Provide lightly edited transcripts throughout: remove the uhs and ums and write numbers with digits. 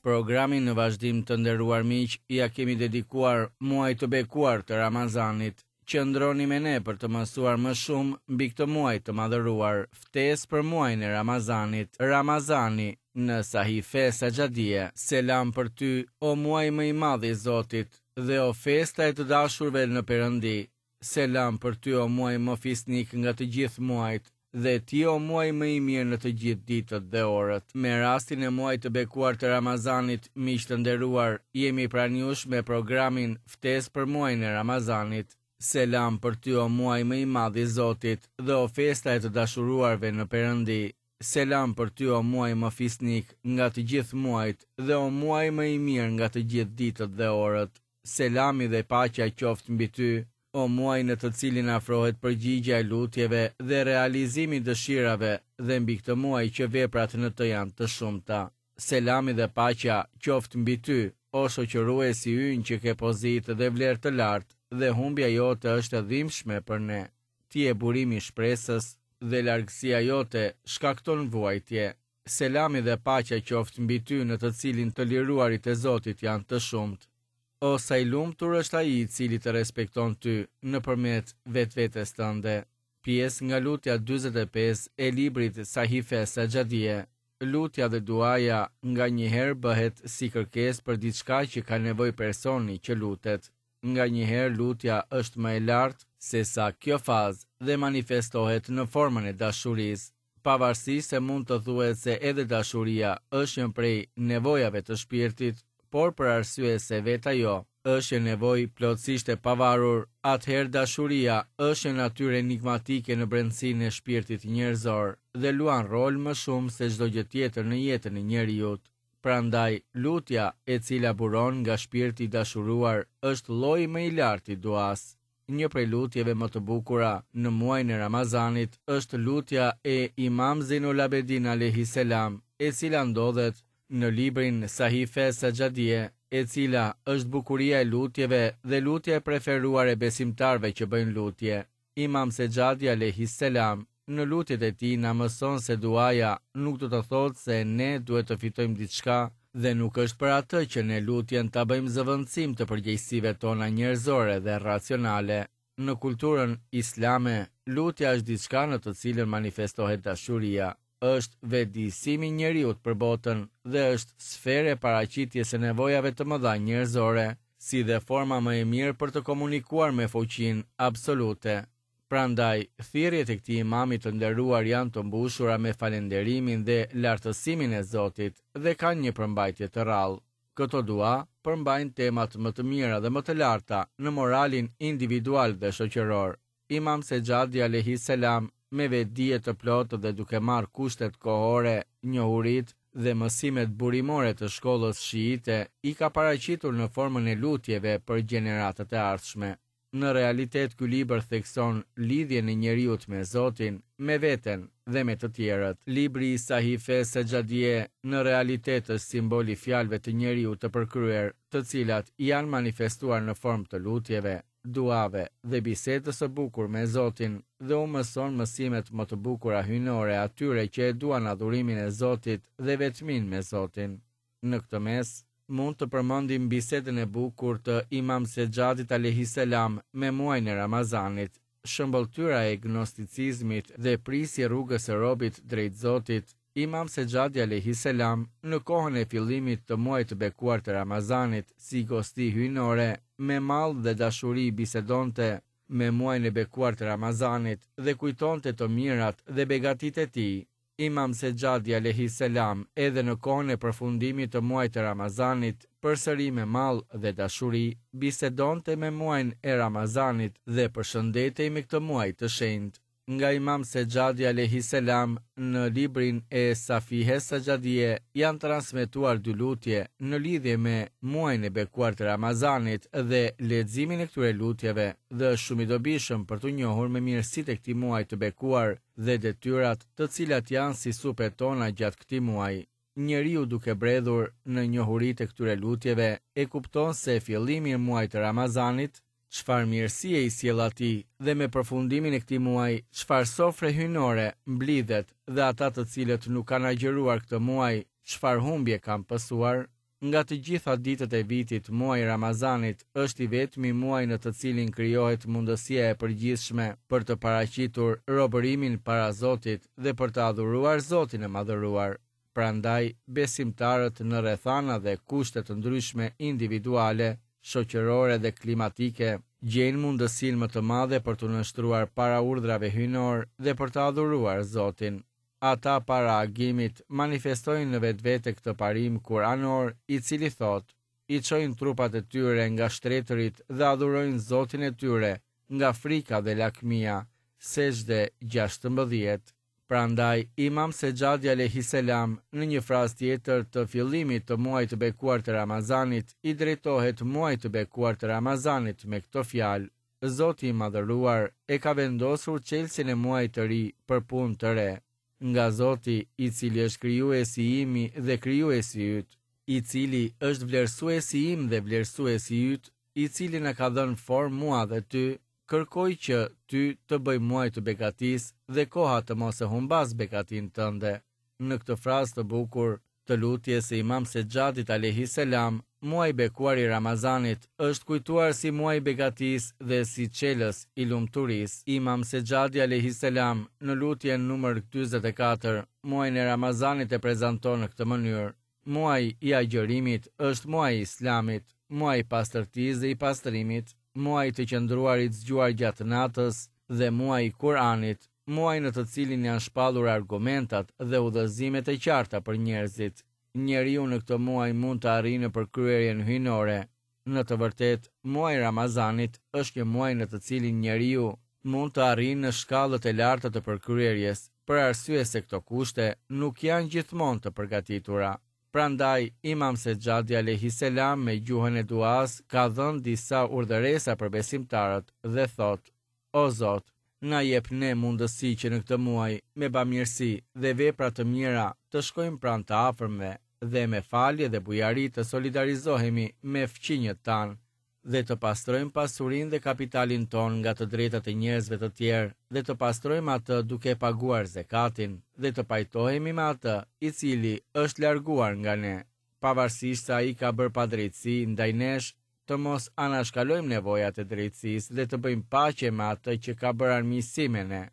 Programin në vazhdim të nderuar miq ia kemi dedikuar muajit të bekuar të Ramazanit. Qëndroni me ne për të mësuar më shumë mbi këtë muaj të madhëruar. Ftesë për muajin e Ramazanit. Ramazani në Sahife Saxhadie. Selam për ty, o muaj më i madh i Zotit, dhe o festa e të dashurve në Perëndi. Selam për ty o muaj më fisnik nga të gjithë muajt dhe ti o muaj më i mirë në të gjithë ditët dhe orët. Me rastin e muajit të bekuar të Ramazanit, miq të nderuar, jemi pranë jush me programin Ftesë për muajin e Ramazanit. Selam për ty o muaj më i madh i Zotit dhe o festa e të dashuruarve në Perëndi. Selam për ty o muaj më fisnik nga të gjithë muajt dhe o muaj më i mirë nga të gjithë ditët dhe orët. Selami dhe paqja qoftë mbi ty, o muaj në të cilin afrohet përgjigja e lutjeve dhe realizimi i dëshirave dhe mbi këtë muaj që veprat në të janë të shumta. Selami dhe paqja qoftë mbi ty, o shoqëruesi ynë që ke pozitë dhe vlerë të lartë dhe humbja jote është e dhimbshme për ne. Ti je burimi i shpresës dhe largësia jote shkakton vuajtje. Selami dhe paqja qoftë mbi ty në të cilin të liruarit e Zotit janë të shumtë. O sa i lumtur është ai i cili të respekton ty nëpërmjet vetvetes tënde. Pjesë nga lutja 45 e librit Sahife Saxhadie. Lutja dhe duaja nganjëherë bëhet si kërkesë për diçka që ka nevojë personi që lutet. Nganjëherë lutja është më e lartë sesa kjo fazë dhe manifestohet në formën e dashurisë. Pavarësisht se mund të thuhet se edhe dashuria është një prej nevojave të shpirtit, por për arsye se vetë ajo është një nevojë plotësisht e pavarur, atëherë dashuria është një natyrë enigmatike në brendësinë e shpirtit njerëzor dhe luan rol më shumë se çdo gjë tjetër në jetën e njeriut. Prandaj, lutja, e cila buron nga shpirti i dashuruar, është lloji më i lartë i duasë. Një prej lutjeve më të bukura në muajin e Ramazanit është lutja e Imam Zejnul Abedin alejhi selam, e cila ndodhet në librin Sahife Saxhadie, e cila është bukuria e lutjeve dhe lutja e preferuar e besimtarëve që bëjnë lutje. Imam Sexhadi alejhi selam në lutjet e tij na mëson se duaja nuk do të thotë se ne duhet të fitojmë diçka dhe nuk është për atë që ne lutjen ta bëjmë zëvendësim të përgjegjësive tona njerëzore dhe racionale. Në kulturën islame, lutja është diçka në të cilën manifestohet dashuria, është vetëdijësimi i njeriut për botën dhe është sferë e paraqitjes së nevojave të mëdha njerëzore, si dhe forma më e mirë për të komunikuar me fuqinë absolute. Prandaj, thirrjet e këtij imami të nderuar janë të mbushura me falënderimin dhe lartësimin e Zotit dhe kanë një përmbajtje të rrallë. Këto dua përmbajnë temat më të mira dhe më të larta në moralin individual dhe shoqëror. Imam Sexhadi alejhi selam me vetëdije të plotë dhe duke marrë kushtet kohore, njohuritë dhe mësimet burimore të shkollës shiite i ka paraqitur në formën e lutjeve për gjeneratat e ardhshme. Në realitet ky libër thekson lidhjen e njeriut me Zotin, me veten dhe me të tjerët. Libri i Sahife Sexhadie në realitet është simbol i fjalëve të njeriut të përkryer, të cilat janë manifestuar në formë të lutjeve, duave dhe bisedës së bukur me Zotin dhe u mëson mësimet më të bukura hyjnore atyre që e duan adhurimin e Zotit dhe vetminë me Zotin. Në këtë mes, mund të përmendim bisedën e bukur të Imam Sexhadit alejhi selam me muajin e Ramazanit, shëmbëlltyra e gnosticizmit dhe prijësi i rrugës së robit drejt Zotit, Imam Sexhadi alejhi selam, në kohën e fillimit të muajit të bekuar të Ramazanit, si gosti hyjnore, me mall dhe dashuri bisedonte me muajin e bekuar të Ramazanit dhe kujtonte të mirat dhe begatitë e tij. Imam Sexhadi alejhi selam edhe në kohën e përfundimit të muajit të Ramazanit, përsëri me mall dhe dashuri, bisedonte me muajin e Ramazanit dhe përshëndetej me këtë muaj të shenjtë. Nga Imam Sexhadi alejhi selam në librin e Safihe Sexhadie janë transmetuar dy lutje në lidhje me muajin e bekuar të Ramazanit dhe leximin e këtyre lutjeve dhe është shumë i dobishëm për t'u njohur me mirësitë e këtij muaji të bekuar dhe detyrat të cilat janë si supet tona gjatë këtij muaji. Njeriu duke bredhur në njohuritë e këtyre lutjeve e kupton se fillimi i muajit të Ramazanit, çfarë mirësie i sjell atij dhe me përfundimin e këtij muaji çfarë sofre hyjnore mblidhet dhe ata të cilët nuk kanë agjëruar këtë muaj çfarë humbje kanë pësuar. Nga të gjitha ditët e vitit, muaji i Ramazanit është i vetmi muaj në të cilin krijohet mundësia e përgjithshme për të paraqitur robërimin para Zotit dhe për të adhuruar Zotin e Madhëruar. Prandaj, besimtarët në rrethana dhe kushte të ndryshme individuale, shoqërore dhe klimatike, gjejnë mundësinë më të madhe për t'u nënshtruar para urdhrave hyjnorë dhe për të adhuruar Zotin. Ata para agimit manifestojnë në vetvete këtë parim kuranor i cili thotë, I çojnë trupat e tyre nga shtretërit dhe adhurojnë Zotin e tyre nga frika dhe lakmia, Sexhde 16. Prandaj, Imam Sexhadi alejhi selam në një frazë tjetër të fillimit të muajit të bekuar të Ramazanit i drejtohet muajit të bekuar të Ramazanit me këto fjalë, Zoti i Madhëruar e ka vendosur çelësin e muajit të ri për punë të re. Nga Zoti, i cili është krijuesi imi dhe krijuesi yt, i cili është vlerësuesi im dhe vlerësuesi yt, i cili na ka dhënë formë mua dhe ty, kërkoj që ty të bëj muaj të begatisë dhe koha të mos e humbasë begatinë tënde. Në këtë frazë të bukur të lutjes së Imam Sexhadit alejhi selam, muaji i bekuar i Ramazanit është kujtuar si muaj i begatisë dhe si çelës i lumturisë. Imam Sexhadi alejhi selam në lutjen numër 44, muajin e Ramazanit e prezanton në këtë mënyrë, Muaji i agjërimit është muaji i Islamit, muaji i pastërtisë dhe i pastrimit, muaji i të qëndruarit zgjuar gjatë natës dhe muaji i Kur'anit, muaj në të cilin janë shpallur argumentat dhe udhëzimet e qarta për njerëzit. Njeriu në këtë muaj mund të arrijë në përkryerjen hyjnore. Në të vërtetë, muaji i Ramazanit është një muaj në të cilin njeriu mund të arrijë në shkallët e larta të përkryerjes, për arsye se këto kushte nuk janë gjithmonë të përgatitura. Prandaj, Imam Sexhadi alejhi selam me gjuhën e duasë ka dhënë disa urdhëresa për besimtarët dhe thotë, O Zot, na jep ne mundësi që në këtë muaj, me bamirësi dhe vepra të mira, të shkojmë pranë të afërmve dhe me falje dhe bujari të solidarizohemi me fqinjët tanë dhe të pastrojmë pasurinë dhe kapitalin tonë nga të drejtat e njerëzve të tjerë dhe të pastrojmë atë duke paguar zekatin dhe të pajtohemi me atë i cili është larguar nga ne, pavarësisht se ai ka bërë padrejtësi ndaj nesh të mos anashkalojmë nevojat e drejtësisë dhe të bëjmë paqe me atë që ka bërë armiqësi me ne,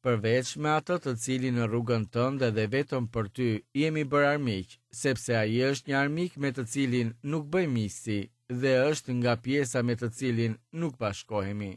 përveç me atë të cilin në rrugën tënde dhe vetëm për ty jemi bërë armiq, sepse ai është një armik me të cilin nuk bëjmë miqësi dhe është nga pjesa me të cilin nuk bashkohemi.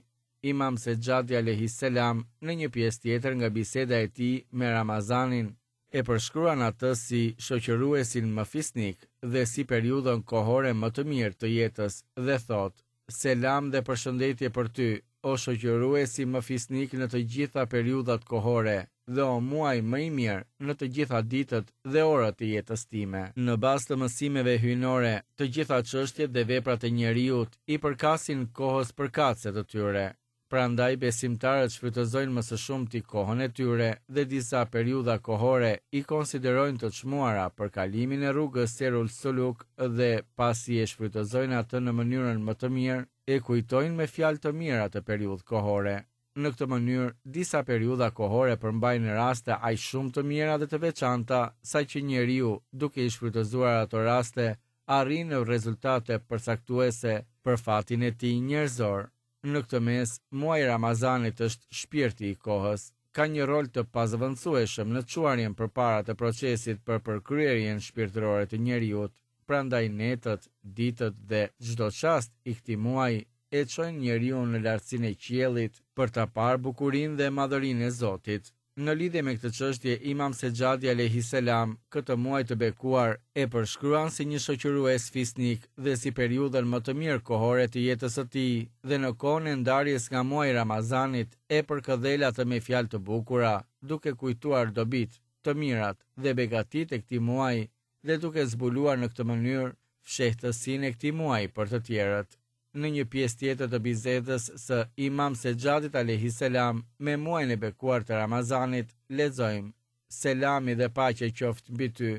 Imam Sexhadi alejhi selam në një pjesë tjetër nga biseda e tij me Ramazanin e përshkruan atë si shoqëruesin më fisnik dhe si periudhën kohore më të mirë të jetës dhe thotë, Selam dhe përshëndetje për ty, o shoqëruesi më fisnik në të gjitha periudhat kohore dhe o muaj më i mirë në të gjitha ditët dhe orët e jetës time. Në bazë të mësimeve hyjnore, të gjitha çështjet dhe veprat e njeriut i përkasin kohës përkatëse të tyre. Prandaj besimtarët shfrytëzojnë më së shumti kohën e tyre dhe disa periudha kohore i konsiderojnë të çmuara për kalimin e rrugës Sejrul Suluk dhe pasi e shfrytëzojnë atë në mënyrën më të mirë, e kujtojnë me fjalë të mirë atë periudhë kohore. Në këtë mënyrë, disa periudha kohore përmbajnë raste aq shumë të mira dhe të veçanta, saqë njeriu, duke i shfrytëzuar ato raste, arrin në rezultate përcaktuese për fatin e tij njerëzor. Në këtë mes, muaji i Ramazanit është shpirti i kohës. Ka një rol të pazëvendësueshëm në çuarjen përpara të procesit për përkryerjen shpirtërore të njeriut. Prandaj netët, ditët dhe çdo çast i këtij muaji e çojnë njeriun në lartësinë e qiellit për ta parë bukurinë dhe madhërinë e Zotit. Në lidhje me këtë çështje, Imam Sexhadi alejhi selam këtë muaj të bekuar e përshkruan si një shoqërues fisnik dhe si periudhën më të mirë kohore të jetës së tij dhe në kohën e ndarjes nga muaji i Ramazanit e përkëdhel atë me fjalë të bukura, duke kujtuar dobitë, të mirat dhe begatitë e këtij muaji dhe duke zbuluar në këtë mënyrë fshehtësinë e këtij muaji për të tjerët. Në një pjesë tjetër të bisedës së Imam Sexhadit alejhi selam me muajin e bekuar të Ramazanit, lexojmë, Selami dhe paqja qoftë mbi ty,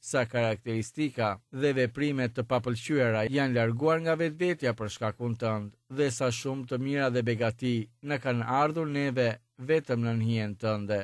sa karakteristika dhe veprime të papëlqyera janë larguar nga vetvetja për shkakun tënd dhe sa shumë të mira dhe begati na kanë ardhur neve vetëm nën hijen tënde.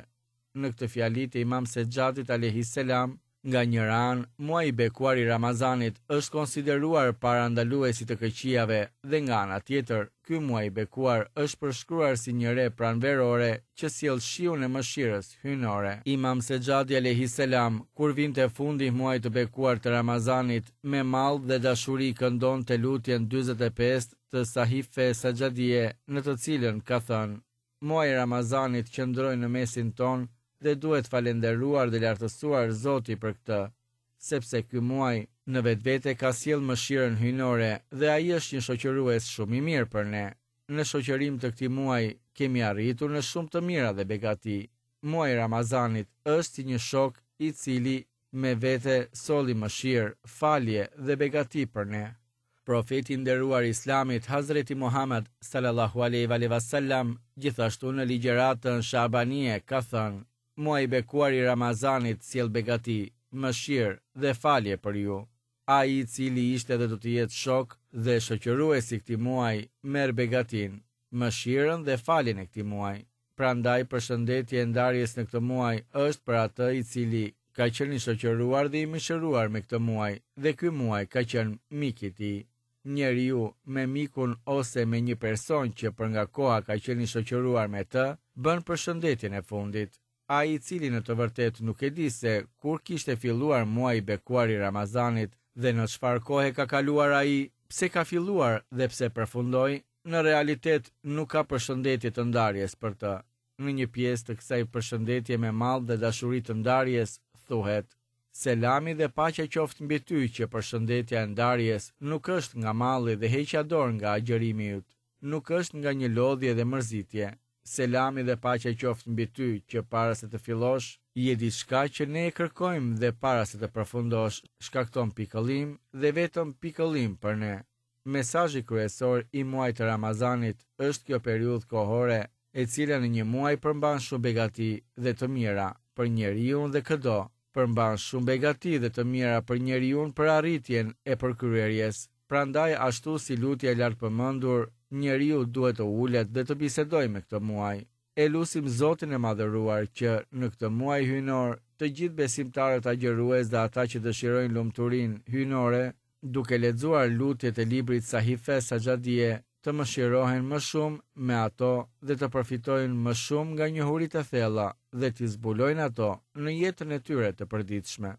Në këtë fjali të Imam Sexhadit alejhi selam. Nga njëra anë, muaji i bekuar i Ramazanit është konsideruar parandalues i të këqijave dhe nga ana tjetër, ky muaj i bekuar është përshkruar si një re pranverore që sjell shiun e mëshirës hyjnore. Imam Sexhadi alejhi selam, kur vinte fundi i muajit të bekuar të Ramazanit, me mall dhe dashuri këndonte lutjen 45 të Sahife Saxhadie, në të cilën ka thënë: Muaji i Ramazanit qëndroi në mesin tonë dhe duhet falenderuar dhe lartësuar Zoti për këtë, sepse ky muaj në vetvete ka sjellë mëshirën hyjnore dhe ai është një shoqërues shumë i mirë për ne. Në shoqërim të këtij muaji kemi arritur në shumë të mira dhe begati. Muaji i Ramazanit është si një shok i cili me vete solli mëshirë, falje dhe begati për ne. Profeti i nderuar i Islamit, Hazreti Muhamed, sallallahu alejhi ve alejhi ve sellem, gjithashtu në ligjëratën Shabanije ka thënë, Muaji i bekuar i Ramazanit sjell begati, mëshirë dhe falje për ju. Ai i cili ishte dhe do të jetë shok dhe shoqërues i këtij muaji, merr begatinë, mëshirën dhe faljen e këtij muaji. Prandaj përshëndetje e ndarjes në këtë muaj është për atë i cili ka qenë i shoqëruar dhe i mishëruar me këtë muaj dhe ky muaj ka qenë mik i tij. Njeriu me mikun ose me një person që për nga koha ka qenë i shoqëruar me të, bën përshëndetjen e fundit. Ai i cili në të vërtetë nuk e di se kur kishte filluar muaji i bekuar i Ramazanit dhe në çfarë kohe ka kaluar ai, pse ka filluar dhe pse përfundoi, në realitet nuk ka përshëndetje të ndarjes për të. Në një pjesë të kësaj përshëndetje me mall dhe dashuri të ndarjes, thuhet, Selami dhe paqja qoftë mbi ty që përshëndetja e ndarjes nuk është nga malli dhe heqja dorë nga agjërimi yt, nuk është nga një lodhje dhe mërzitje. Selami dhe paqja qoftë mbi ty që para se të fillosh, je diçka që ne e kërkojmë dhe para se të përfundosh, shkakton pikëllim dhe vetëm pikëllim për ne. Mesazhi kryesor i muajit të Ramazanit është kjo periudhë kohore, e cila në një muaj përmban shumë begati dhe të mira për njeriun dhe këdo, përmban shumë begati dhe të mira për njeriun për arritjen e përkryerjes. Prandaj ashtu si lutja e lartpërmendur, njeriu duhet të ulet dhe të bisedojë me këtë muaj. E lusim Zotin e Madhëruar që, në këtë muaj hyjnor, të gjithë besimtarët agjërues dhe ata që dëshirojnë lumturinë hyjnore, duke lexuar lutjet e librit Sahife Saxhadie, të mëshirohen më shumë me ato dhe të përfitojnë më shumë nga njohuritë e thella dhe t'i zbulojnë ato në jetën e tyre të përditshme.